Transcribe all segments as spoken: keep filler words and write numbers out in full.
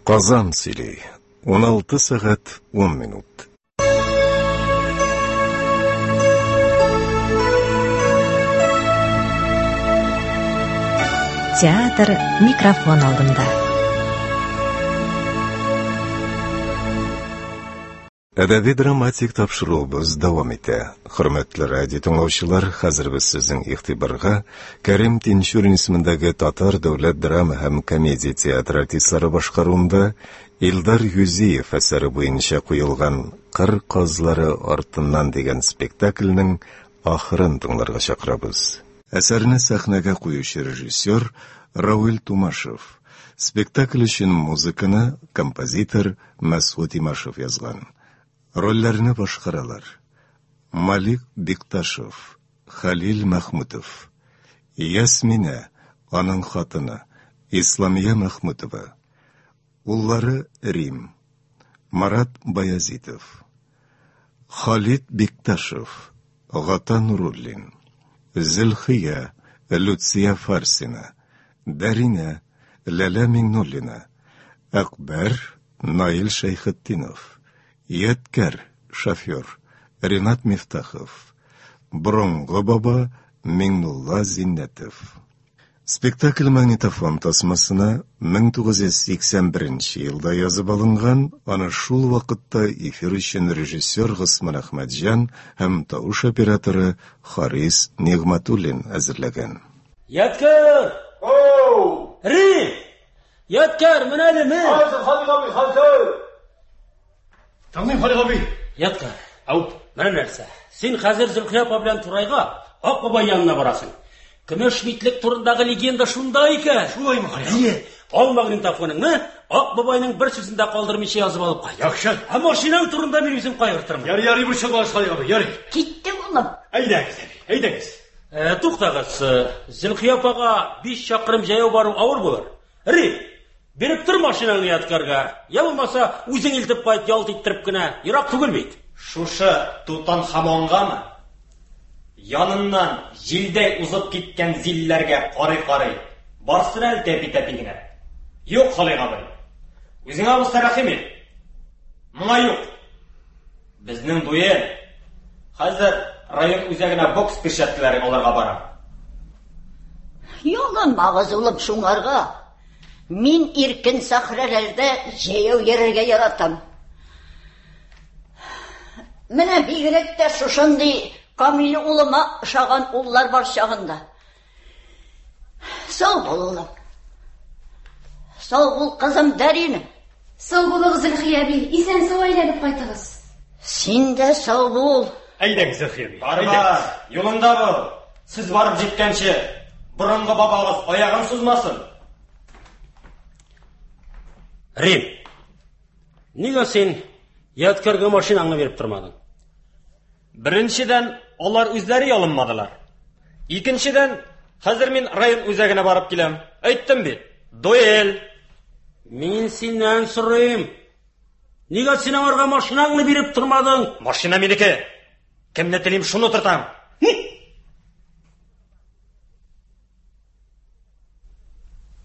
Казан сөйли. Уналты сәгать ун минут. Театр микрофон алдында. Әдәби драматик тапшыруыбыз дәвам итә. Хөрмәтле радио тыңлаучылар, хәзер без сезнең игътибарга Кәрим Тинчурин исемендәге Татар дәүләт драма һәм комедия театры артистлары башкаруында Илдар Юзиев әсәре буенча куелган Кыр казлары артыннан дигән спектакльнең ахырын тыңларга чакырабыз. Әсәрне сәхнәгә куючы режиссер Равил Тумашев. Спектакль өчен музыканы композитор Мәсгут Имашев язган. Рольләрне башкаралар: Малик Бикташев, Халил Мәхмүтов, Ясминә, аның хатыны, Исламия Мәхмүтова, уллары Рим, Марат Баязитов, Халид Бикташев, Гата Нуруллин, Зөлхия, Люция Фарсина, Дәринә, Ләлә Миңнуллина, Акбәр, Наил Шәйхетдинов, Ядкәр, шофер, Ренат Мифтахов, Борынгы баба Миңнулла Зиннәтов. Спектакль магнитофон тасмасына мең тугыз йөз сиксән беренче елда язып алынган, аны шул вакытта эфир өчен режиссер Госман Әхмәтҗан һәм тавыш операторы Харис Нигъмәтуллин әзерләгән. Ядкәр! Оу! Рим! Ядкәр, менә әле мен! Хәзер, Халик абый, хәзер! Тыңлыйм, Халик абый. Ядкәр. Ау. Менә нәрсә. Син хәзер Зөлхия апа белән Турайга Ак бабай янына барасың. Көмеш битлек турындагы легенда шунда икән. Шулаймы, Халик абый? Әйе. Ал магнитофоныңны Ак бабайның бер сүзен дә калдырмыйча язып алып кайт. Яхшы. Ә машинаң турында мин үзем кайгыртырмын. Ярый, ярый, борчылмагыз, Халик абый, ярый. Киттем, улым. Әйдәгез, әби, әйдәгез. Э, туктагыз, Зөлхия апага биш чакрым җәяү бару авыр булыр. Рим, биреп тор машинаңны Ядкәргә. Я булмаса, үзең илтеп кайт, ялт иттереп кенә. Ерак түгел бит. Шушы Тутанхамонгамы? Яныннан җилдәй узып киткән зилләргә карый-карый барсын әле тәпи-тәпи генә. Юк, Халик абый. Үзеңә булса рәхим ит. Моңа юк. Безнең дуэль. Хәзер район үзәгенә бокс перчаткалары алырга барам. Ялынмагыз, улым, шуңарга. Мин иркен сәхрәләрдә җәяү йөрергә яратам. Менә бигрәк тә шушындый камил улыма ошаган уллар бар чагында. Сау бул, улым. Сау бул, кызым Дәринә. Сау булыгыз, Зөлхия әби. Исән-сау әйләнеп кайтыгыз. Син дә сау бул. Әйдәгез, Зөлхия әби. Бар, бар, юлыңда бул. Сез барып җиткәнче, борынгы бабагыз аягын сузмасын. Рим, нигә син Ядкәргә машинаңны биреп тормадың? Беренчедән, алар үзләре ялынмадылар. Икенчедән, хәзер мин район үзәгенә барып киләм. Әйттем бит, дуэль. Мин синнән сорыйм. Нигә син аңарга машинаңны биреп тормадың? Машина минеке. Кемне телим, шуны тотам.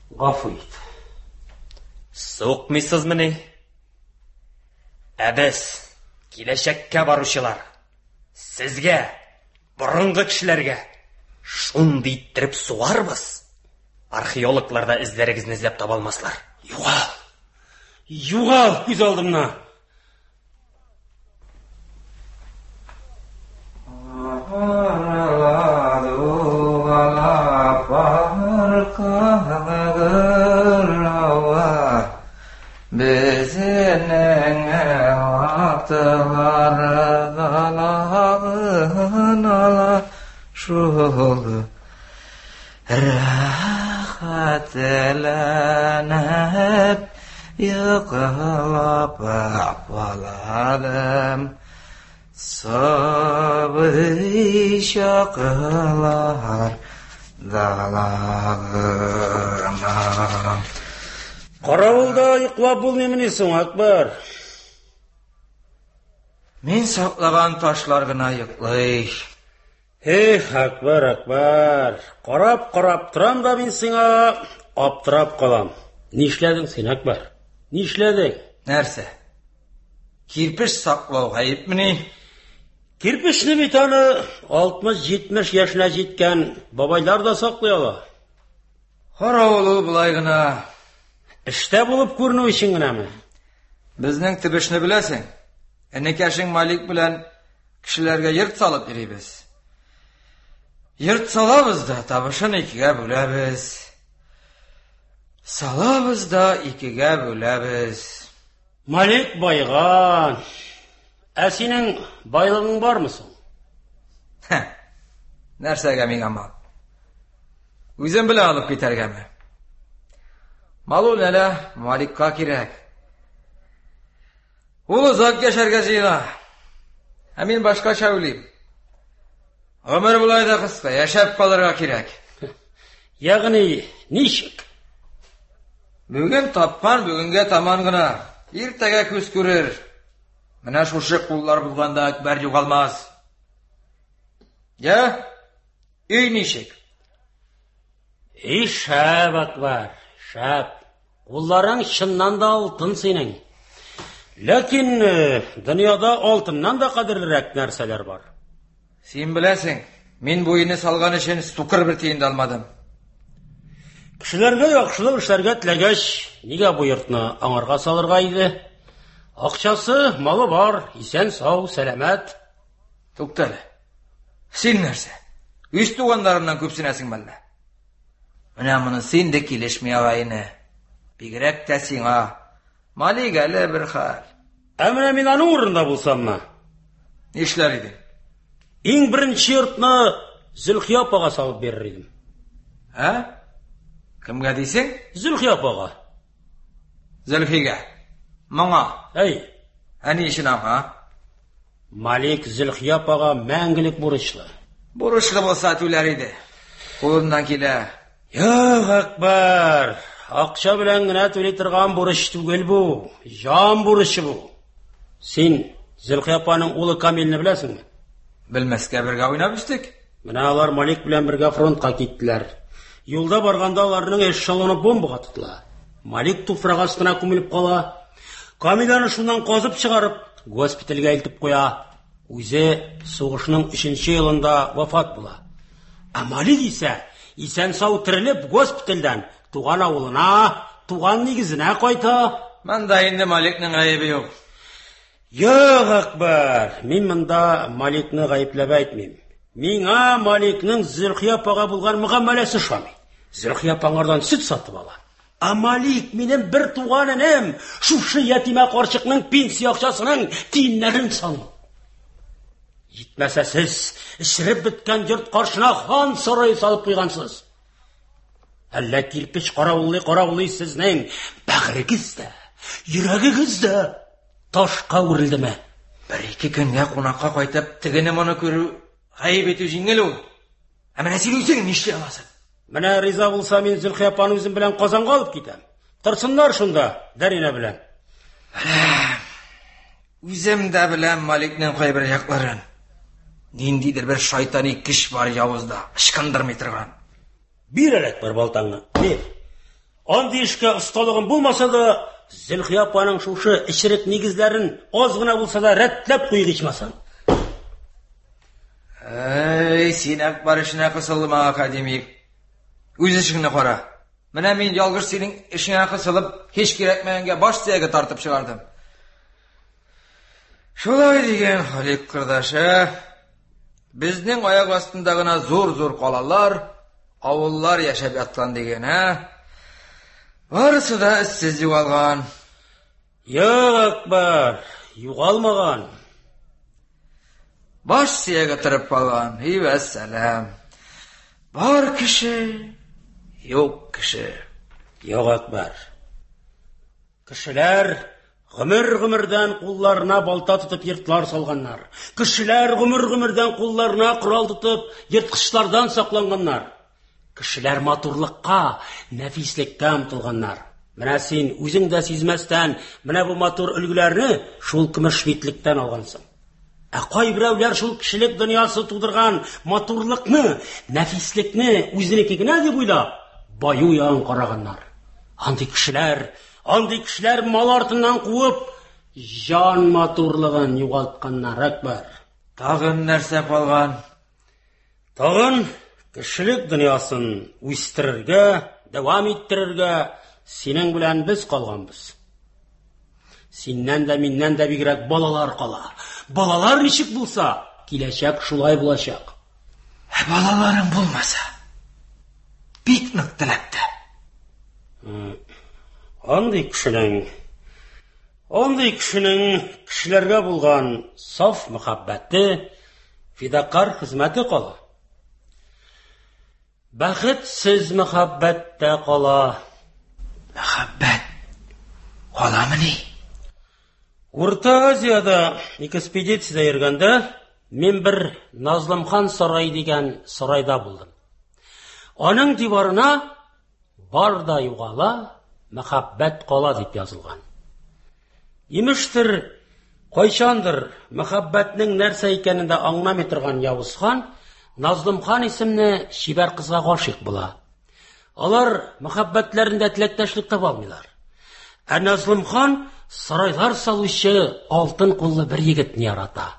Гафу ит. Суыкмыйсызмыни? Ә без, киләчәккә баручылар, сезгә, борынгы кешеләргә шундый иттереп сугарбыз. Археологлар да эзләрегезне эзләп таба алмаслар. Югал! Югал күз алдымнан! Шул рәхәтләнеп йоклап алалым. Сабый чаклар далагына. Каравылда йоклап булмыймыни соң, Акбар? Мин саклаган ташлар гына йоклый. Эх, Акбар, Акбар, карап-карап торам да мин сиңа аптырап калам. Нишләдең син, Акбар? Нишләдең? Нәрсә? Кирпеч саклау гаепмени? Кирпечне бит аны алтмыш-җитмеш яшенә җиткән бабайлар да саклый ала. Каравыл ул болай гына. Эштә булып күренү өчен генәме? Безнең төбешне беләсең. Энекәшең Малик белән кешеләргә йорт салып йөрибез. Йорт салабыз да, табышын икегә бүләбез. Салабыз да икегә бүләбез. Малик байган. Ә синең байлыгың бармы соң? Нәрсәгә миңа мал? Үзем белән алып китәргәме? Мал ул әле Маликка кирәк. Ул озак яшәргә җыена. Ә мин башкача уйлыйм. Гомер болай да кыска, яшәп калырга кирәк. Ягъни ничек? Бүген тапкан бүгенгә таман гына. Иртәгә күз күрер. Менә шушы куллар булганда Әкбәр югалмас. Я, өй ничек? Эй, шәп, Әкбәр, шәп. Кулларың чыннан да алтын синең. Ләкин дөньяда алтыннан да кадерлерәк нәрсәләр бар. Син беләсең, мин бу өйне салган өчен сукыр бер тиен дә алмадым. Кешеләргә яхшылык эшләргә теләгәч, нигә бу йортны аңарга салырга иде? Акчасы, малы бар, исән сау, сәламәт. Тукта әле. Син нәрсә? Үз туганнарыңнан күпсенәсең мәллә? Менә монысы инде килешми агайны. Бигрәк тә сиңа. Малик әле бер хәл. Ә менә мин аның урынында булсаммы? Нишләр идең? Иң беренче йортны Зөлхия апага салып бирер идем. Ә? Кемгә дисең? Зөлхия апага. Зөлхигә. Моңа. Әй. Ә ни өчен аңа? Малик Зөлхия апага мәңгелек бурычлы. Бурычлы булса түләр иде. Кулыннан килә. Юк, Әкбәр, акча белән генә түли торган бурыч түгел бу. Җан бурычы бу. Син Зөлхия апаның улы Камилне беләсеңме? Белмәскә, бергә уйнап үстек. Менә алар Малик белән бергә фронтка киттеләр. Юлда барганда аларның эшелоны бомбага тотыла. Малик туфрак астына күмелеп кала. Камил аны шуннан казып чыгарып, госпитальгә илтеп куя. Үзе сугышның өченче елында вафат була. Ә Малик исә исән сау терелеп госпитальдән туган авылына, туган нигезенә кайта. Монда инде Маликның гаебе юк. Юк, Әкбәр, мин монда Маликны гаепләп әйтмим. Миңа Маликның Зөлхия апага булган мөгамәләсе ошамый. Зөлхия апа аңардан сөт сатып ала. Ә Малик минем бер туган энем, шушы ятимә карчыкның пенсия акчасының тиеннәрен саный. Җитмәсә сез эчереп беткән йорт каршына хан сарае салып куйгансыз. Әллә кирпеч каравыллый каравыллый сезнең бәгырегез дә, йөрәгегез дә ташка үрелдеме? Бер ике көнгә кунакка кайтып, тегене моны күрү гаеп итү җиңел ул. Ә менә син үзең нишли аласың? Менә риза булса, мин Зөлхия апаны үзем белән Казанга алып китәм. Торсыннар шунда, Дәринә белән. Үзем дә беләм Маликның кайбер якларын. Ниндидер бер шайтани көч бар явызда, ычкындырмый торган. Бир әле бер балтаңны, бир. Андый эшкә осталыгым булмаса да, Зөлхия апаның шушы эчерек нигезләрен аз гына булса да рәтләп куйык ичмасам. Әй, син Әкбәр эшенә кысылма, академик. Үз эшеңне кара. Менә мин ялгыш синең эшеңә кысылып, һич кирәкмәгәнгә баш сөяге тартып чыгардым. Шулай дигән Халик кордашы. Безнең аяк астында гына зур-зур калалар, авыллар яшәп яткан дигән, ә? Барысы да эзсез югалган. Юк, Әкбәр, югалмаган. Баш сөяге торып калган. И вәссәлам. Бар кеше, юк кеше. Юк, Әкбәр. Кешеләр гомер-гомердән кулларына балта тотып йортлар салганнар. Кешеләр гомер-гомердән кулларына корал тотып ерткычлардан сакланганнар. Кешеләр матурлыкка, нәфислеккә омтылганнар. Менә син үзең дә сизмәстән менә бу матур өлгеләрне шул көмеш битлектән алгансың. Ә кайберәүләр шул кешелек дөньясы тудырган матурлыкны, нәфислекне үзенеке генә дип уйлап, баю ягын караганнар. Андый кешеләр Андый кешеләр мал артыннан куып, җан матурлыгын югалтканнар, Әкбәр. Тагын нәрсә калган? Тагын кешелек дөньясын үстерергә, дәвам иттерергә синең белән без калганбыз. Синнән дә, миннән дә бигрәк балалар кала. Балалар ничек булса, киләчәк шулай булачак. Ә балаларың булмаса, бик нык теләп тә. Андый кешенең, андый кешенең кешеләргә булган саф мәхәббәте, фидакар хезмәте кала. Бәхетсез мәхәббәт тә кала. Мәхәббәт каламыни? Урта Азиядә экспедициядә йөргәндә мин бер Назлымхан сарае дигән сарайда булдым. Аның диварына бар да югала, мәхәббәт кала дип язылган. Имештер, кайчандыр мәхәббәтнең нәрсә икәнен дә аңламый торган Явыз хан Назлымхан исемле чибәр кызга гашыйк була. Алар мәхәббәтләрендә теләктәшлек таба алмыйлар. Ә Назлымхан сарайлар салучы алтын куллы бер егетне ярата.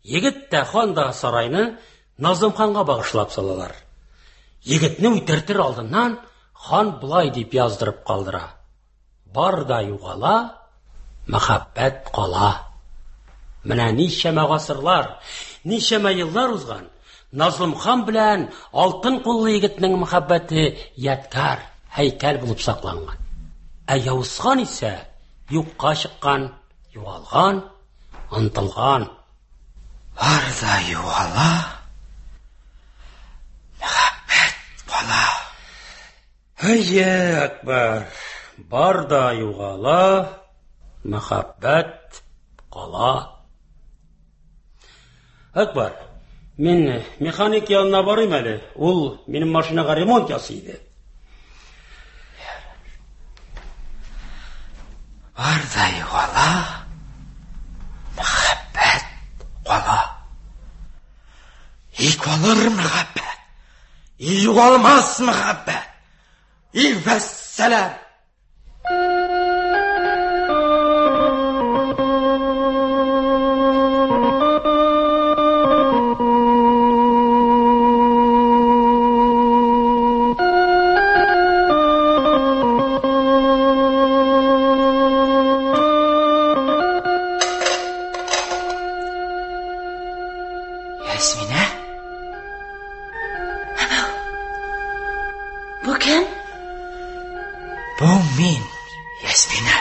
Егет тә, хан да сарайны Назлымханга багышлап салалар. Егетне үтертер алдыннан хан болай дип яздырып калдыра: бар да югала, мәхәббәт кала. Менә ничәмә гасырлар, ничәмә еллар узган, Назлымхан белән алтын куллы егетнең мәхәббәте ядкәр, һәйкәл булып сакланган. Ә Явыз хан исә юкка чыккан, югалган, онытылган. Бар да югала, мәхәббәт кала. Әйе, Әкбәр, бар да югала, мәхәббәт кала. Әкбәр, мин механик янына барыйм әле. Ул минем машинага ремонт ясый иде. Бар да югала, мәхәббәт кала. И калыр мәхәббәт, и югалмас мәхәббәт. И вәссәлам. Ясминә? Бу кем? Бу мин, Ясминә.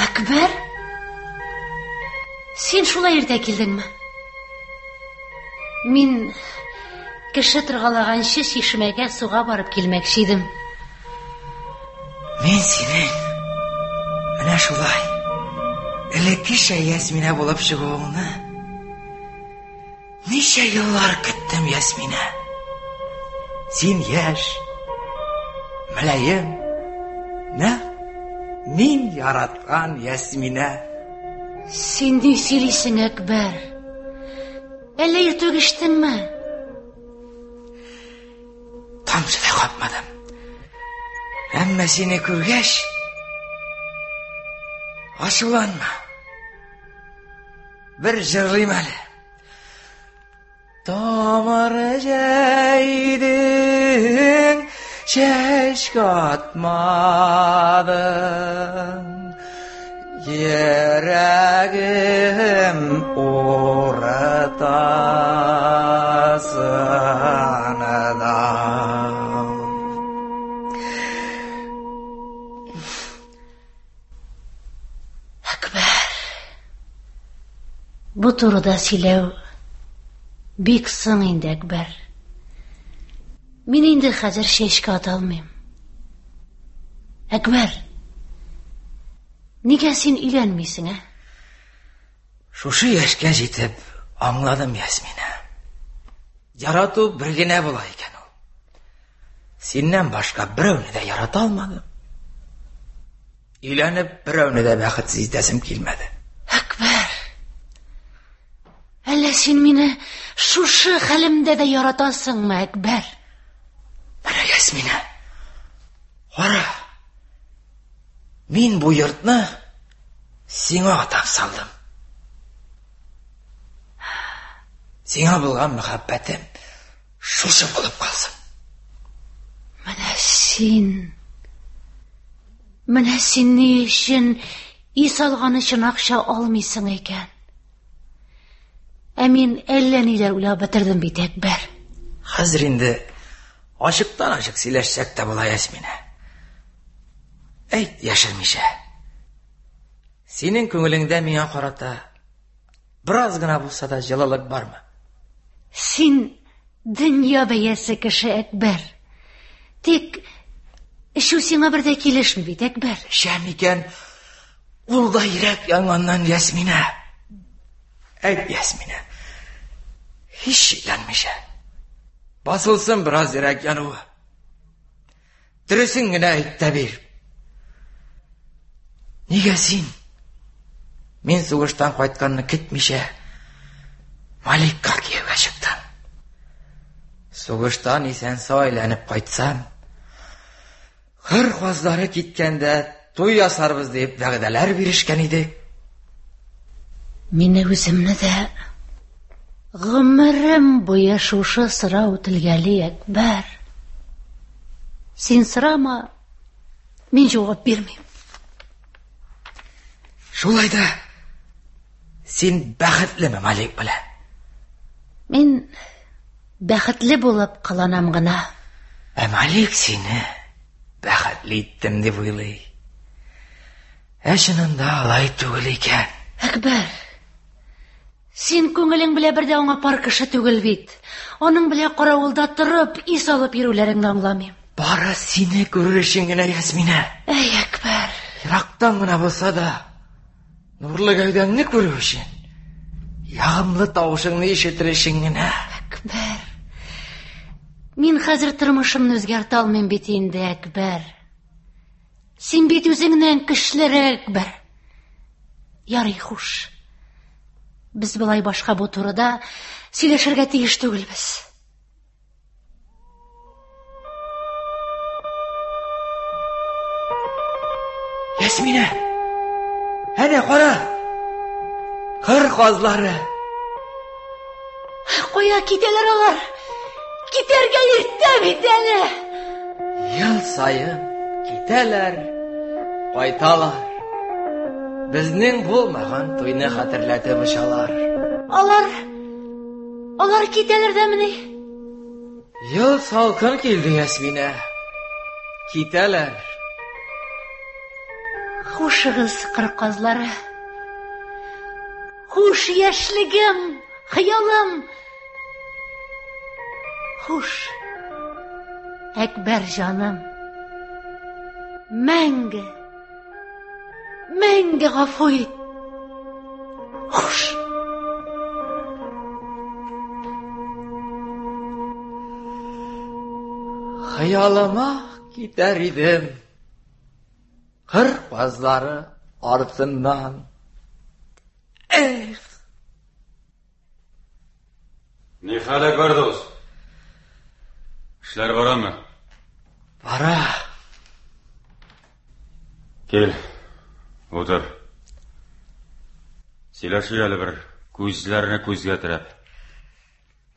Әкбәр? Син шулай иртә килдеңме? Мин кеше торгалаганчы чишмәгә суга барып килмәкче идем. Мин синең менә шулай элеккечә Ясминә булып чыгуыңны ничә еллар көттем, Ясминә. Син яшь, мөлаем, нәкъ мин яраткан Ясминә. Син ни сөйлисең, Әкбәр? Әллә иртүк эчтеңме? Тамчы да капмадым. Әмма сине күргәч, ачуланма. Бер җырлыйм әле. Тамыр җәйдең, чәчкә атмадың, йөрәгем уртасында. Әкбәр, бу турыда сөйләү бик соң инде, Әкбәр. Мин инде хәзер чәчкә ата алмыйм. Әкбәр, нигә син өйләнмисең, ә? Шушы яшькә җитеп аңладым, Ясминә. Ярату бер генә була икән ул. Синнән башка берәүне дә ярата алмадым. Өйләнеп берәүне дә бәхетсез итәсем килмәде. Әкбәр, әллә син мине шушы хәлемдә дә яратасыңмы, Әкбәр? Менә, Ясминә, кара, Мин бу йортны сиңа атап салдым. Сиңа булган мәхәббәтем шушы булып калсын. Менә син, менә син ни өчен өй салган өчен акча алмыйсың икән? Ә мин әллә ниләр уйлап бетердем бит, Әкбәр. Хәзер инде ачыктан-ачык сөйләшсәк тә була, Ясминә. Әйт, яшермичә. Синең күңелеңдә миңа карата бераз гына булса да җылылык бармы? Син дөнья бәясе кеше, Әкбәр. Тик эчү сиңа бер дә килешми бит, Әкбәр. Эчәм икән, ул да йөрәк янганнан, Ясминә. Әйт, Ясминә, һич шикләнмичә. Басылсын бераз йөрәк януы. Дөресен генә әйт тә бир. Нигә син, мин сугыштан кайтканны көтмичә, Маликка кияүгә чыктың? Сугыштан исән-сау әйләнеп кайтсам, кыр казлары киткәндә туй ясарбыз дип вәгъдәләр бирешкән идек. Мине үземне дә гомерем буе шушы сорау телгәли, Әкбәр. Син сорама, мин җавап бирмим. Шулай да син бәхетлеме Малик белән? Мин бәхетле булып кыланам гына. Ә Малик сине бәхетле иттем дип уйлый. Ә чынында алай түгел икән. Әкбәр, син күңелең белән бер дә аңа пар кеше түгел бит. Аның белән каравылда торып, ис алып йөрүләреңне аңламыйм. Бары сине күрер өчен генә, Ясминә. Әй, Әкбәр. Ерактан гына булса да, нурлы гәүдәңне күрү өчен, ягымлы тавышыңны ишетер өчен генә. Әкбәр. Мин хәзер тормышымны үзгәртә алмыйм бит инде, Әкбәр. Син бит үзеңнән көчлерәк, Әкбәр. Ярый, хуш. Без болай башка бу турыда сөйләшергә тиеш түгелбез. Ясминә, әнә кара! Кыр казлары. Кая китәләр алар? Китәргә иртә бит әле. Ел саен китәләр, кайталар. Безнең булмаган туйны хәтерләтеп очалар. Алар, алар китәләр дәмени? Ел салкын килде, Ясминә. Китәләр. Хушыгыз, кыр казлары. Хуш, яшьлегем, хыялым. Хуш, Әкбәр җаным. Мәңге, мәңге гафу ит. Хуш. Хыялыма китәр идем. Кыр казлары артыннан. Эх! Ни хәл, Әкбәр дус? Эшләр барамы? Бара. Кил, утыр. Сөйләшик әле бер, күзләрне күзгә терәп.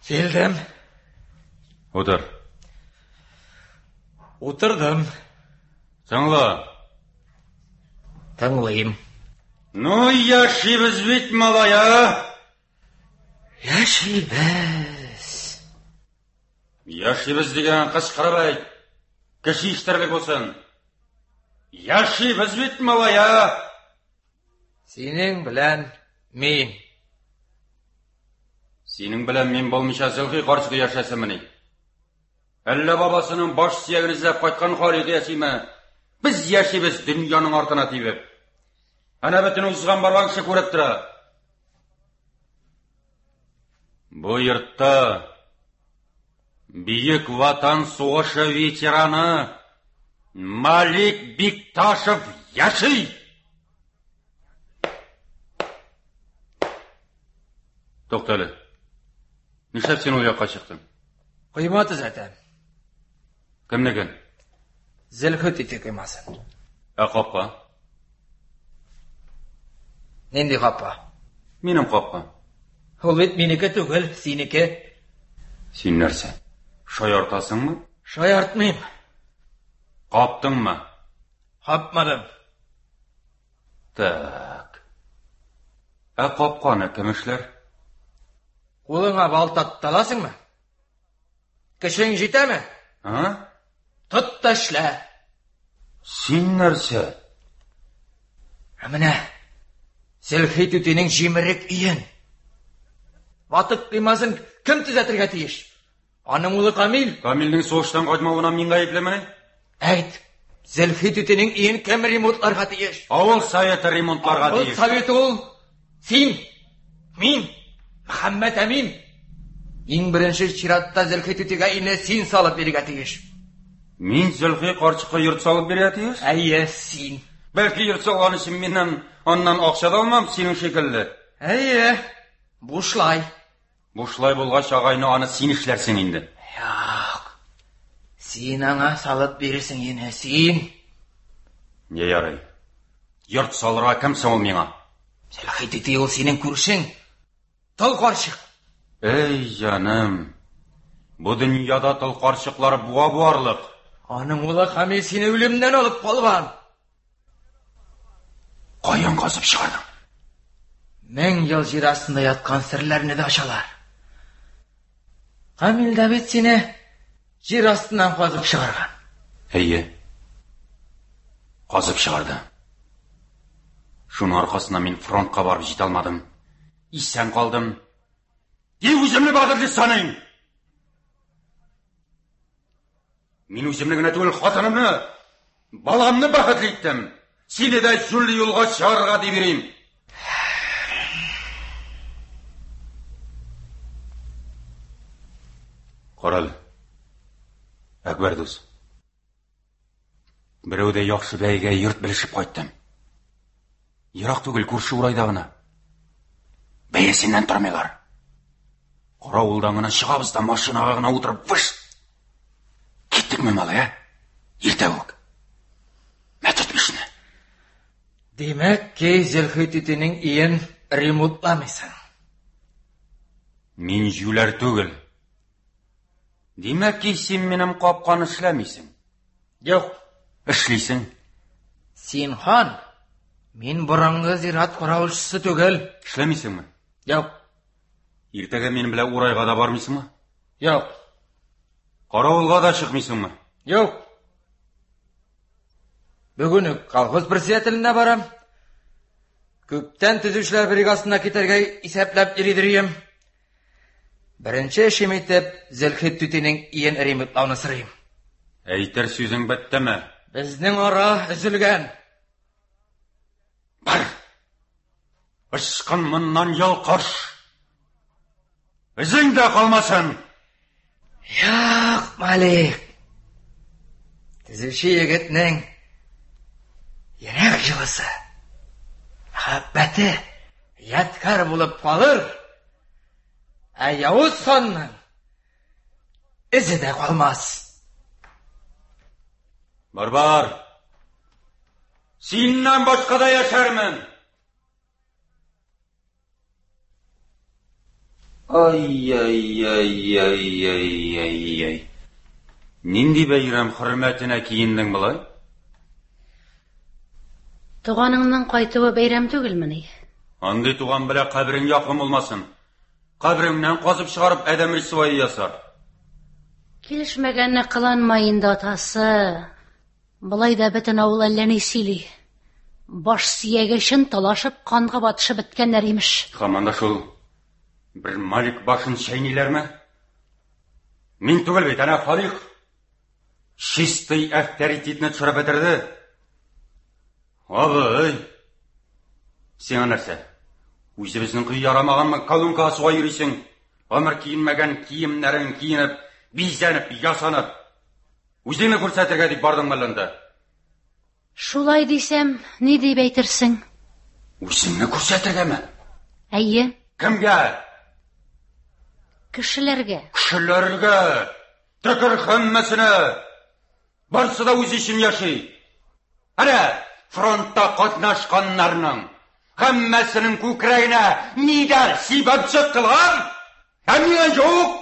Килдем. Утыр. Утырдым. Тыңла. Тыңлыйм. Ну, яшибез бит, малай, а? Яшибез. Яшибез дигән кычкырып әйт. Кеше ишетерлек булсын. Яшибез бит, малай, а? Синең белән мин. Синең белән мин булмыйча Зөлхи карчыгы яшәсенмени? Әллә бабасының баш сөяген эзләп кайткан Халикы яшиме? Без яшибез дөньяның артына тибеп. Әнә бөтен узган барган кеше күреп тора. Бу йортта Бөек Ватан сугышы ветераны Малик Бикташев яши. Туктале. Нишләп син ул якка чыктың? Койма төзәтәм. Кемнекен? Зөлхи түти коймасын. Ә капка? Нинди капка? Минем капка. Ул бит минеке түгел, синеке. Син нәрсә? Шаяртасыңмы? Шаяртмыйм. Каптыңмы? Капмадым. Так. Ә капканы кем эшләр? Кулыңа балта тота аласыңмы? Көчең җитәме? А? Тот та эшлә. Син нәрсә? Ә менә Зөлхи түтинең җимерек өен, ватык коймасын кем төзәтергә тиеш? Аның улы Камил. Камилнең сугыштан кайтмавына мин гаеплемени? Әйт, Зөлхи түтинең өен кем ремонтларга тиеш? Авыл советы ремонтларга Авыл тиеш. Советы ул син, мин, Мөхәммәт Әмин. Иң беренче чиратта Зөлхи түтигә өйне син салып бирергә тиеш. Мин Зөлхи карчыкка йорт салып бирергә тиеш? Әйе, син. Бәлки йорт салган өчен миннән аннан акча да алмам, синең шикелле. Әйе, бушлай. Бушлай булгач, агайны аны син эшләрсең инде. Юк. Син аңа салып бирерсең инде, син. Не ярый. Йорт салырга кем соң ул миңа? Зөлхи түти ул синең күршең. Тол карчык. Эй, җаным. Бу дөньяда тол карчыклар буа буарлык. Аның улы Камил сине үлемнән алып калган. Каян казып чыгардың? Мең ел җир астында яткан серләрне дә ачалар. Камил дә бит сине җир астыннан казып чыгарган. Әйе. Казып чыгарды. Шуның аркасында мин фронтка барып җитә алмадым. Исән калдым. И үземне бәхетле саныйм. Мин үземне генә түгел, хатынымны, баламны бәхетле иттем. Сине дә җүнле юлга чыгарырга дип йөрим. Карал. Әкбәр дус. Берәү дә яхшы бәйгә йорт белешеп кайттым. Ерак түгел, күрше урайда гына. Бәясеннән тормыйлар. Каравылдан гына чыгабыз да машинага гына утырып выш. Киттекме, малай, ә? Иртә үк. Мә тот бишне. Димәк ки, Зөлхи түтинең өен ремонтламыйсың. Мин җүләр түгел. Димәк ки, син минем капканы эшләмисең. Юк. Эшлисең. Син хан, мин борынгы зират каравылчысы түгел. Эшләмисеңме? Юк. Иртәгә минем белән урайга да бармыйсыңмы? Юк. Каравылга да чыкмыйсыңмы? Юк. Бүген үк колхоз председателенә барам. Күптән төзүчеләр бригадасына китәргә исәпләп йөридер идем. Беренче эшем итеп Зөлхи түтинең өен ремонтлауны сорыйм. Әйтер сүзең беттеме? Безнең ара өзелгән. Бар. Ычкын моннан ялкаш. Үзең дә калмасын. Юк, Малик. Төзүче егетнең йөрәк җылысы, мәхәббәте ядкәр булып калыр. Ә явыз ханның эзе дә калмас. Бар, бар. Синнән башка да яшәрмен. Ай, ай, ай, ай, ай, ай, ай. Нинди бәйрәм хөрмәтенә киендең болай? Туганыңның кайтуы бәйрәм түгелмени? Андый туган белән каберең якын булмасын. Кабереңнән казып чыгарып адәм рисвае ясар. Килешмәгәнне кыланма инде, атасы. Болай да бөтен авыл әллә ни сөйли. Баш сөяге өчен талашып, канга батышып беткәннәр имеш. Һаман да шул бер Малик башын чәйниләрме? Мин түгел бит, әнә Халик. Чистый авторитетны төшереп бетерде. Абый, сиңа нәрсә? Үзебезнең кый ярамаганмы, колонкага суга йөрисең? Гомер киенмәгән киемнәрен киенеп, бизәнеп, ясанып, үзеңне күрсәтергә дип бардың мәллә анда? Шулай дисәм, ни дип әйтерсең? Үзеңне күрсәтергәме? Әйе. Кемгә? Кешеләргә. Кешеләргә! Төкер һәммәсенә! Барсы да үзе өчен яши. Әнә, фронтта катнашканнарның, Һәммәсенең күкрәгенә нидер сибеп чыктылар. Ә миңа юк.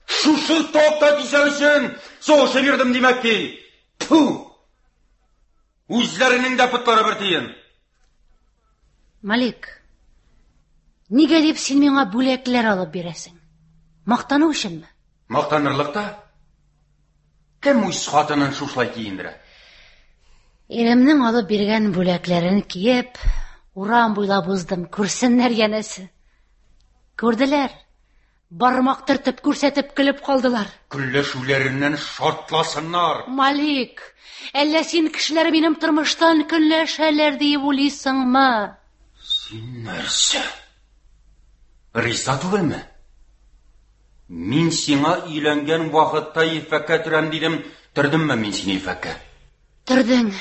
Шушы топта кисәр өчен сугышып йөрдем димәк ки. Тфу! Үзләренең дә потлары бер тиен. Малик, нигә дип син миңа бүләкләр алып бирәсең? Мактану өченме? Мактанырлык та. Кем үз хатынын шушылай киендерә? Иремнең алып биргән бүләкләрен киеп, урам буйлап уздым, күрсеннәр янәсе. Күрделәр. Бармак төртеп күрсәтеп көлеп калдылар. Көнләшүләреннән шартласыннар. Малик, әллә син кешеләр минем тормыштан көнләшәләр диеп уйлыйсыңмы? Син нәрсә? Риза түгелме? Мин сиңа өйләнгән вакытта ефәккә төрәм дидем. Төрдемме мин сине ефәккә? Төрдең.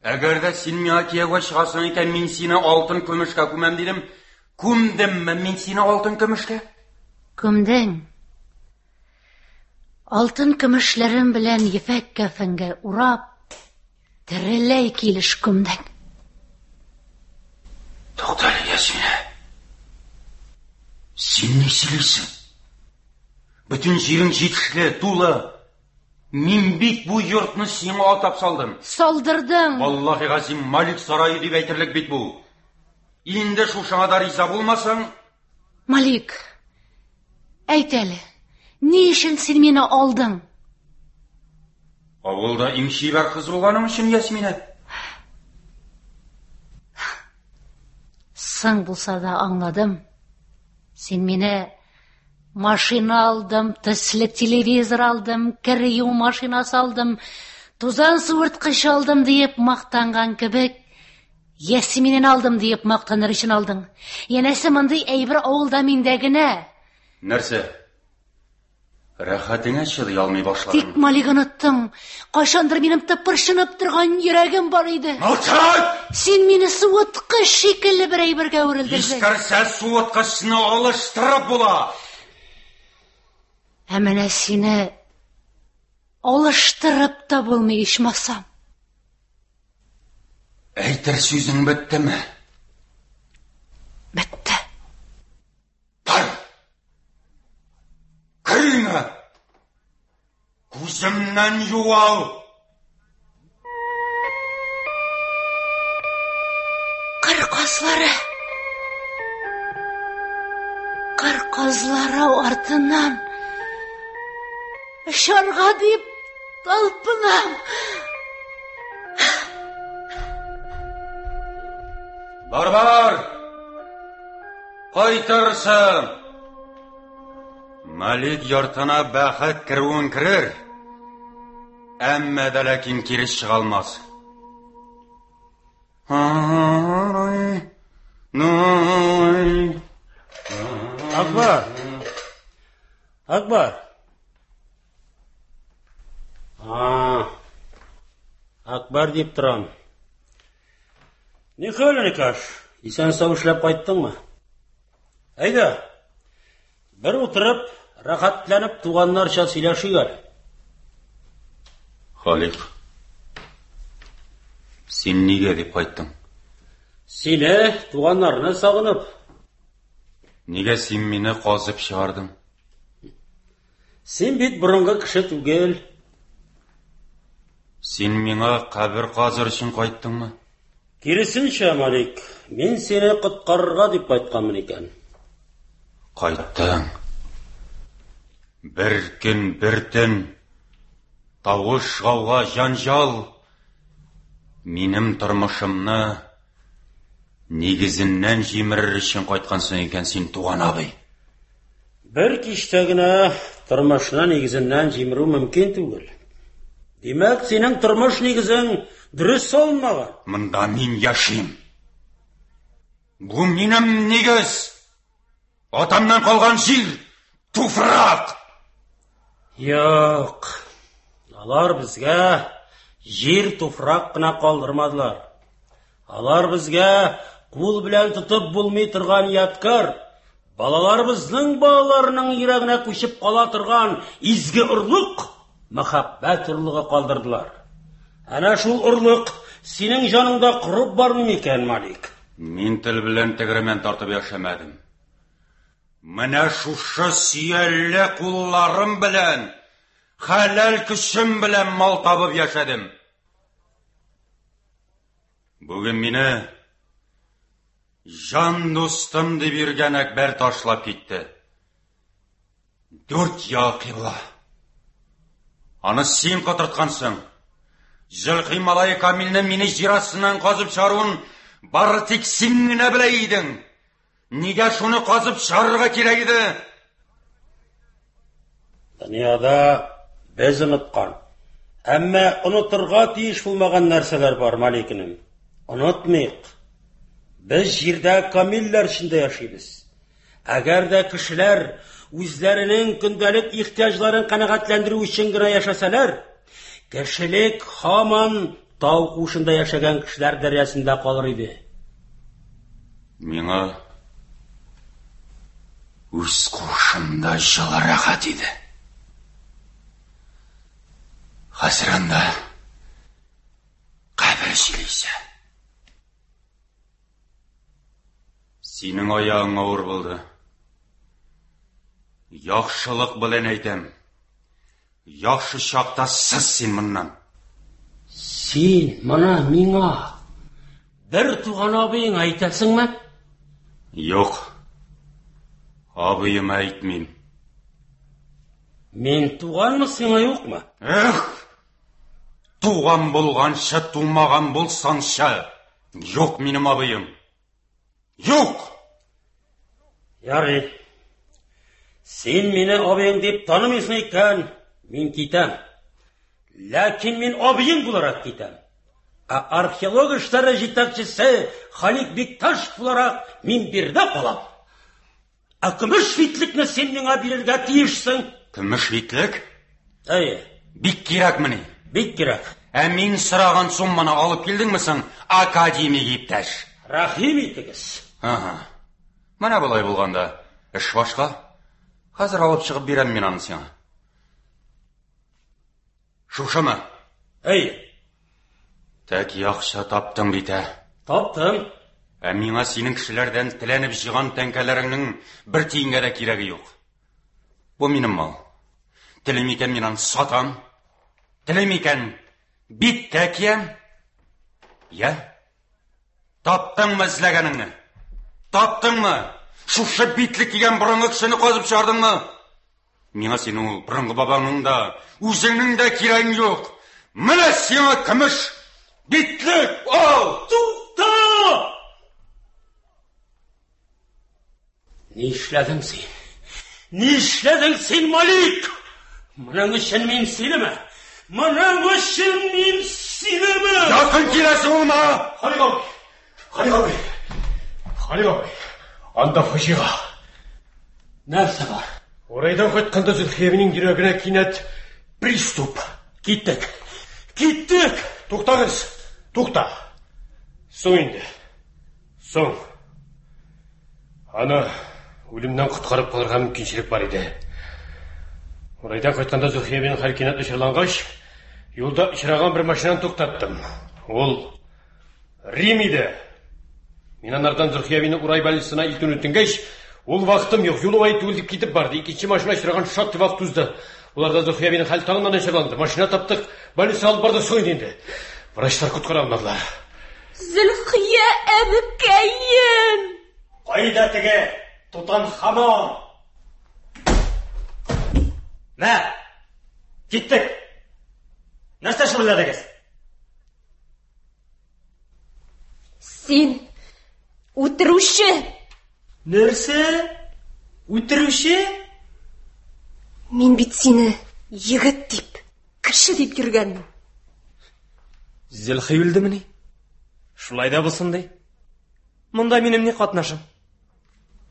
Әгәр дә син миңа кияүгә чыгасың икән, мин сине алтын көмешкә күмәм дидем. Күмдемме мин сине алтын көмешкә? Күмдең. Алтын көмешләрем белән ефәк кәфенгә урап, тереләй килеш күмдең. Туктале, Ясминә. Син ни сөйлисең? Бөтен җирең җитешле, тулы. Мин бит бу йортны сиңа атап салдым. Салдырдың. Валлаһи газим, Малик сарае дип әйтерлек бит бу. Инде шушыңа да риза булмасаң... Малик, әйт әле, ни өчен син мине алдың? Авылда иң чибәр кыз булганың өчен, Ясминә. Соң булса да аңладым. Син мине машина алдым, төсле телевизор алдым, кер юу машинасы алдым, тузан суырткыч алдым диеп мактанган кебек, Ясминен алдым диеп мактаныр өчен алдың. Янәсе мондый әйбер авылда миндә генә. Нәрсә? Рәхәтеңә чыдый алмый башладың. Тик Малик оныттың. Кайчандыр минем тыпырчынып торган йөрәгем бар иде. Молчать! Син мине суыткыч шикелле бер әйбергә әверелдердең. Искәрсә суыткычны алыштырып була. Ә менә сине алыштырып та булмый ичмасам. Әйтер сүзең беттеме? Бетте. Бар! Кер өеңә! Күземнән югал! Кыр казлары! Кыр казлары артыннан очарга дип талпынам. Бар, бар! Кайтырсың! Малик йортына бәхет керүен керер, әмма дә ләкин кире чыга алмас. Акбар! Акбар! А, Акбар дип торам. Ни хәл, Никаш? Исән сау эшләп кайттыңмы? Әйдә, бер утырып, рәхәтләнеп туганнарча сөйләшик әле. Халик, син нигә дип кайттың? Сине, туганнарны сагынып. Нигә син мине казып чыгардың? Син бит борынгы кеше түгел. Син миңа кабер казыр өчен кайттыңмы? Киресенчә, Малик, мин сине коткарырга дип кайтканмын икән. Кайттың. Бер көн, бер төн, тавыш, гауга, җанҗал минем тормышымны нигезеннән җимерер өчен кайткансың икән син, туган абый. Бер кичтә генә тормышны нигезеннән җимерү мөмкин түгел. Димәк, синең тормыш нигезең дөрес салынмаган. Монда мин яшим. Бу минем нигез. Атамнан калган җир, туфрак. Юк. Алар безгә җир, туфрак кына калдырмадылар. Алар безгә кул белән тотып булмый торган ядкәр, балаларыбызның балаларының йөрәгенә күчеп кала торган изге орлык, мәхәббәт орлыгы калдырдылар. Әнә шул орлык синең җаныңда корып бармый микән, Малик? Мин тел белән тегермән тартып яшәмәдем. Менә шушы сөялле кулларым белән, хәләл көчем белән мал табып яшәдем. Бүген мине җан дустым дип йөргән Әкбәр ташлап китте. Дүрт ел кыйбла. Аны син котырткансың. Зөлхи малае Камилне мине җир астыннан казып чыгаруын бары тик син генә белә идең. Нигә шуны казып чыгарырга кирәк иде? Дөньяда без оныткан, әмма онытырга тиеш булмаган нәрсәләр бар, Маликинем. Онытмыйк. Без җирдә камилләр эчендә яшибез. Әгәр дә кешеләр үзләренең көндәлек ихтыяҗларын канәгатьләндерү өчен генә яшәсәләр, кешелек һаман тау куышында яшәгән кешеләр дәрьясында калыр иде. Миңа үз куышымда җылы рәхәт иде. Хәзер анда кабер җилесе. Синең аягың авыр булды. Яхшылык белән әйтәм. Яхшы чакта сыз син моннан. Син моны миңа бер туган абыеңа әйтәсеңме? Юк. Абыема әйтмим. Мин туганмы сиңа, юкмы? Эх! Туган булганчы, тумаган булсаңчы. Юк минем абыем. Юк! Ярый. Син мине абыең дип танымыйсың икән, мин китәм. Ләкин мин абыең буларак китәм. Ә археолог эшләре җитәкчесе Халик Бикташ буларак мин биредә калам. Ә көмеш битлекне син миңа бирергә тиешсең. Көмеш битлек? Әйе. Бик кирәкмени? Бик кирәк. Ә мин сораган сумманы алып килдеңме соң, академик иптәш? Рәхим итегез. Ага. Менә болай булганда эш башка. Хәзер алып чыгып бирәм мин аны сиңа. Шушымы? Әйе. Тәк яхшы таптың бит, ә? Таптым. Ә миңа синең кешеләрдән теләнеп җыйган тәңкәләреңнең бер тиенгә дә кирәге юк. Бу минем мал. Телим икән мин аны сатам. Телим икән биткә киям. Я? Таптыңмы эзләгәнеңне? Таптыңмы? Шушы битлек кигән борынгы кешене казып чыгардыңмы? Миңа синең ул борынгы бабаңның да, үзеңнең дә кирәгең юк. Менә сиңа көмеш битлек, ал! Тукта! Нишләдең син? Нишләдең син, Малик? Моның өчен мин синеме? Моның өчен мин синеме? Якын киләсең улма! Халик абый! Халик абый! Халик абый! Анда фаҗига. Нәрсә бар? Урайдан кайтканда Зөлхиябинең йөрәгенә кинәт приступ. Киттек. Киттек! Туктагыз! Тукта! Соң инде. Соң. Аны үлемнән коткарып калырга мөмкинчелек бар иде. Урайдан кайтканда Зөлхиябинең хәл кинәт начарлангач, юлда очраган бер машинаны туктаттым. Ул Рим иде. Мин анардан Зөлхиябине Урай больницасына илтүне үтенгәч, ул вакытым юк, юл уңай түгел дип китеп барды. Икенче машина очраган шактый вакыт узды. Уларда Зөлхиябинең хәл тагын да начарланды. Машина таптык, больницага алып бардык, соң инде. Врачлар коткара алмадылар. Зөлхия әбекәем! Кайда теге Тутанхамон? Мә, киттек. Нәрсә шөгыльләдегез? Син үтерүче! Нәрсә? Үтерүче? Мин бит сине егет дип, кеше дип йөргәнмен. Зөлхи үлдемени? Шулай да булсын ди. Монда минем ни катнашым?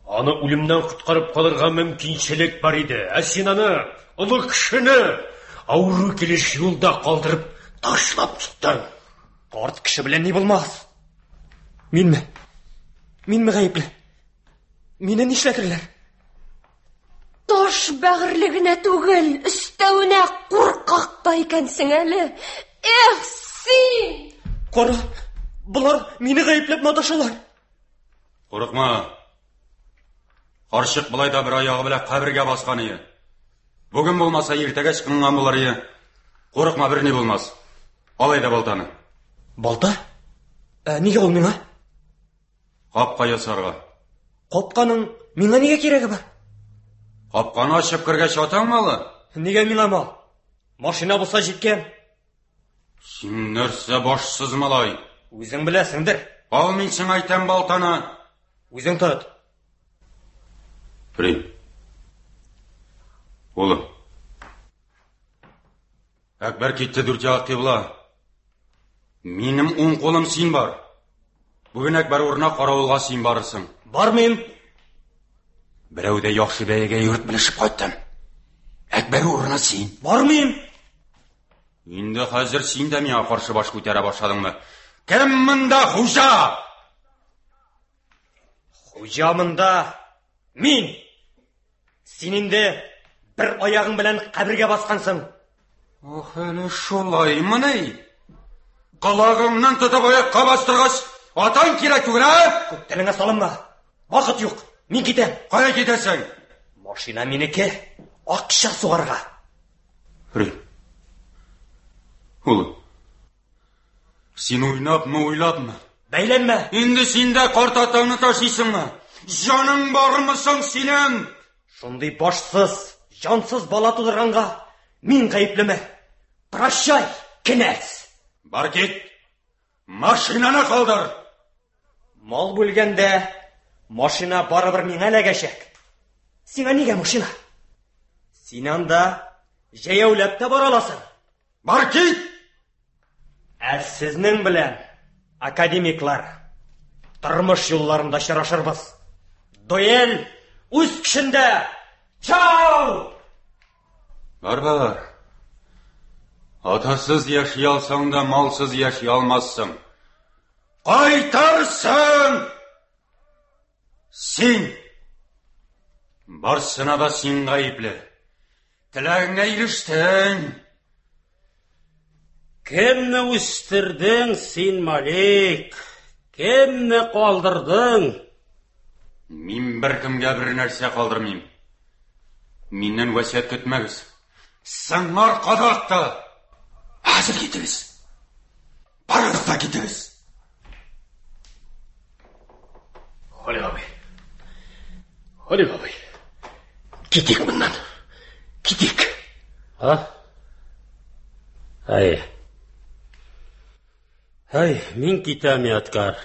Аны үлемнән коткарып калырга мөмкинчелек бар иде. Ә син аны, олы кешене, авыру килеш юлда калдырып ташлап киттең. Карт кеше белән ни булмас? Минме? Минме гаепле? Мине нишләтерләр? Таш бәгырьле генә түгел, өстәвенә куркак та икәнсең әле. Эх, син! Кара, болар мине гаепләп маташалар. Курыкма. Карчык болай да бер аягы белән кабергә баскан ие. Бүген булмаса, иртәгә чыкынган булыр ие. Курыкма, берни булмас. Ал әйдә балтаны. Балта? Ә, нигә ул миңа? Капка ясарга. Капканың миңа нигә кирәге бар? Капканы ачып кергәч атаң малы. Нигә миңа мал? Машина булса җиткән. Син нәрсә башсыз малай? Үзең беләсеңдер. Ал мин сиңа әйтәм балтаны. Үзең тот. Фрид. Улым. Әкбәр китте дүрт як кыйбла. Минем уң кулым син бар. Бүген Әкбәр урынына каравылга син барырсың. Бармыйм. Берәү дә яхшы бәягә йорт белешеп кайттым. Әкбәр урынына син. Бармыйм. Инде хәзер син дә миңа каршы баш күтәрә башладыңмы? Кем монда хуҗа? Хуҗа монда мин. Син инде бер аягың белән кабергә баскансың. Ох, әле шулаймыни? Колагыңнан тотып аякка бастыргач, атаң кирәк түгел, ә? Күп телеңә салынма. Вакыт юк. Мин китәм. Кая китәсең? Машина минеке. Акча сугарга. Фрид. Улым. Син уйнапмы, уйлапмы? Бәйләнмә. Инде син дә карт атаңны ташлыйсыңмы? Җаның бармы соң синең? Шундый башсыз, җансыз бала тудырганга мин гаеплеме? Прощай, кенәз. Бар кит. Машинаны калдыр. Мал бүлгәндә машина барыбер миңа эләгәчәк. Сиңа нигә машина? Син анда җәяүләп тә бара аласың. Бар кит. Ә сезнең белән, академиклар, тормыш юлларында очрашырбыз. Дуэль үз көчендә. Чао! Бар бар. Атасыз яши алсаң да, малсыз яши алмассың. Кайтарсың! Син! Барсына да син гаепле. Теләгеңә ирештең. Кемне үстердең син, Малик? Кемне калдырдың? Мин беркемгә бер нәрсә калдырмыйм. Миннән васыять көтмәгез. Сыңар кадакта. Хәзер китегез. Барыгыз да китегез. Халик абый. Халик абый. Китик моннан. Китик. А? Әй. Әй, мин китәм, Ядкар.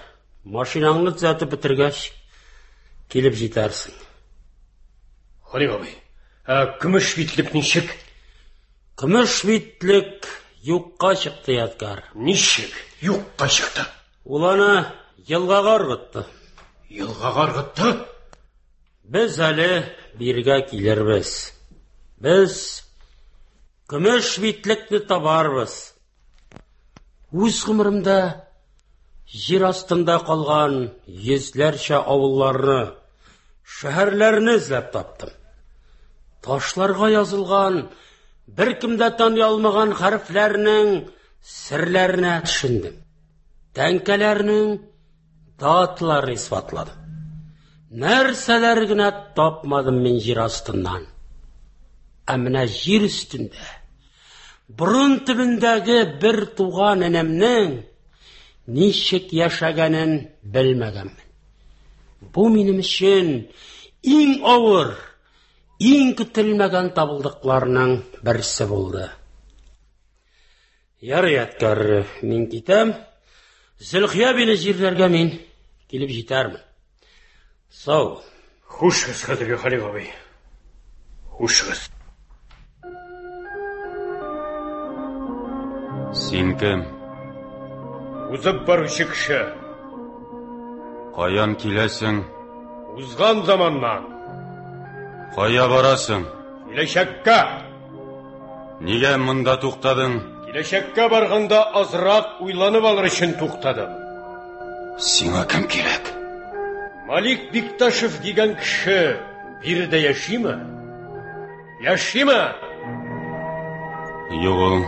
Машинаңны төзәтеп бетергәч, килеп җитәрсең. Халик абый, ә көмеш битлек ничек? Көмеш битлек юкка чыкты, Ядкар. Ничек юкка чыкты? Ул аны елгага ыргытты. Елгага ыргытты? Без әле биргә килербез. Без көмеш битлекне табарбыз. Үз гомеремдә җир астында калган йөзләрчә авылларны, шәһәрләрне эзләп таптым. Ташларга язылган, беркем дә таный алмаган хәрефләрнең серләренә төшендем. Тәңкәләрнең даталарын исбатладым. Нәрсәләр генә тапмадым мин җир астыннан. Ә менә җир өстендә, борын төбендәге бер туган энемнең ничек яшәгәнен белмәгәнмен. Бу минем өчен иң авыр, иң көтелмәгән табылдыкларның берсе булды. Ярый, Ядкар, мин китәм. Зөлхия бине җирләргә мин килеп җитәрмен. Сау. Хушыгыз, хәзерге Халик абый. Хушыгыз. Син кем? Узып баручы кеше. Каян киләсең? Узган заманнан. Кая барасың? Киләчәккә. Нигә монда туктадың? Киләчәккә барганда азрак уйланып алыр өчен туктадым. Сиңа кем кирәк? Малик Бикташев дигән кеше биредә яшиме? Яшиме? Юк ул.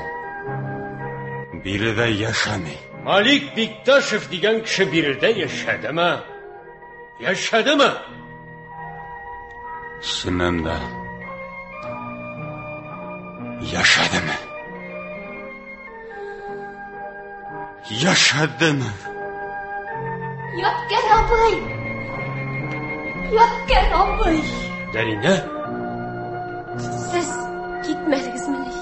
Биредә яшәми. Малик Бикташев дигән кеше биредә яшәдеме? Яшәдеме? Чыннан да яшәдеме? Яшәдеме? Ядкәр абый! Ядкәр абый! Дәринә? Сез китмәдегезмени?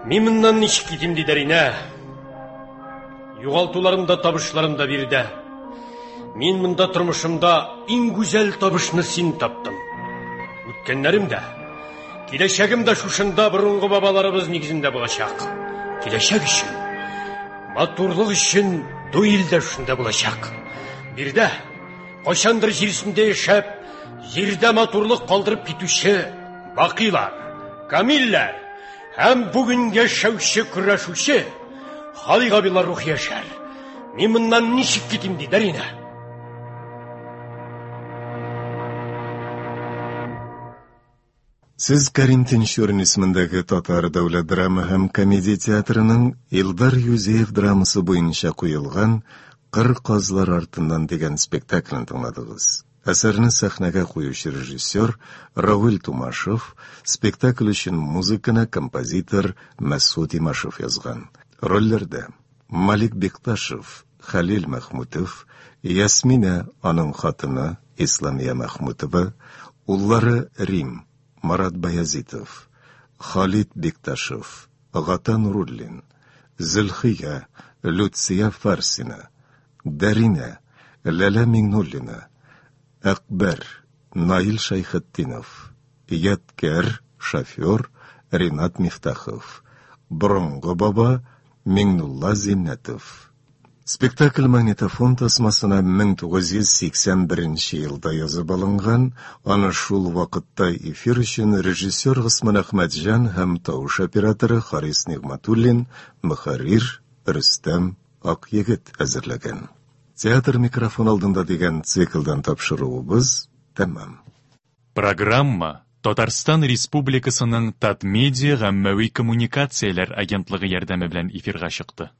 Мин моннан ничек китим ди, Дәринә? Югалтуларым да, табышларым да биредә. Мин монда тормышымда иң гүзәл табышны син таптың. Үткәннәрем дә, киләчәгем дә шушында борынгы бабаларыбыз нигезендә булачак. Киләчәк өчен, матурлык өчен дуэль дә шушында булачак. Биредә кайчандыр җир өстендә яшәп, җирдә матурлык калдырып китүче Бакыйлар, Камилләр һәм бүген яшәүче көрәшүче Халик абыйлар рухы яшәр. Мин моннан ничек китим ди, Дәринә? Сез Кәрим Тинчурин исемендәге Татар дәүләт драма һәм комедия театрының Илдар Юзеев драмасы буенча куелган Кыр казлар артыннан дигән спектаклен тыңладыгыз. Әсәрне сәхнәгә куючы режиссер Равил Тумашев, спектакль өчен музыканы композитор Мәсгут Имашев язган. Рольләрдә Малик Бекташев, Хәлил Мәхмүтов, Ясминә аның хатыны Исламия Мәхмүтова, уллары Рим, Марат Баязитов, Халид Бекташев, Гата Нуруллин, Зөлхия, Люция Фарсина, Дәринә, Ләлә Миңнуллина, Әкбәр, Наил Шәйхетдинов, Ядкәр, шофер Ринат Мифтахов, Борынгы баба Миңнулла Зиннәтов. Спектакль магнитофон тасмасына мең тугыз йөз сиксән беренче елда язып алынган, аны шул вакытта эфир өчен режиссер Госман Әхмәтҗан һәм тавыш операторы Харис Нигъмәтуллин, мөхәррир Рөстәм Акъегет әзерләгән. Театр микрофон алдында дигән циклдан тапшыруыбыз тәмам. Программа Татарстан Республикасының Татмедиа гаммәви коммуникацияләр агентлыгы ярдәме белән эфирга чыкты.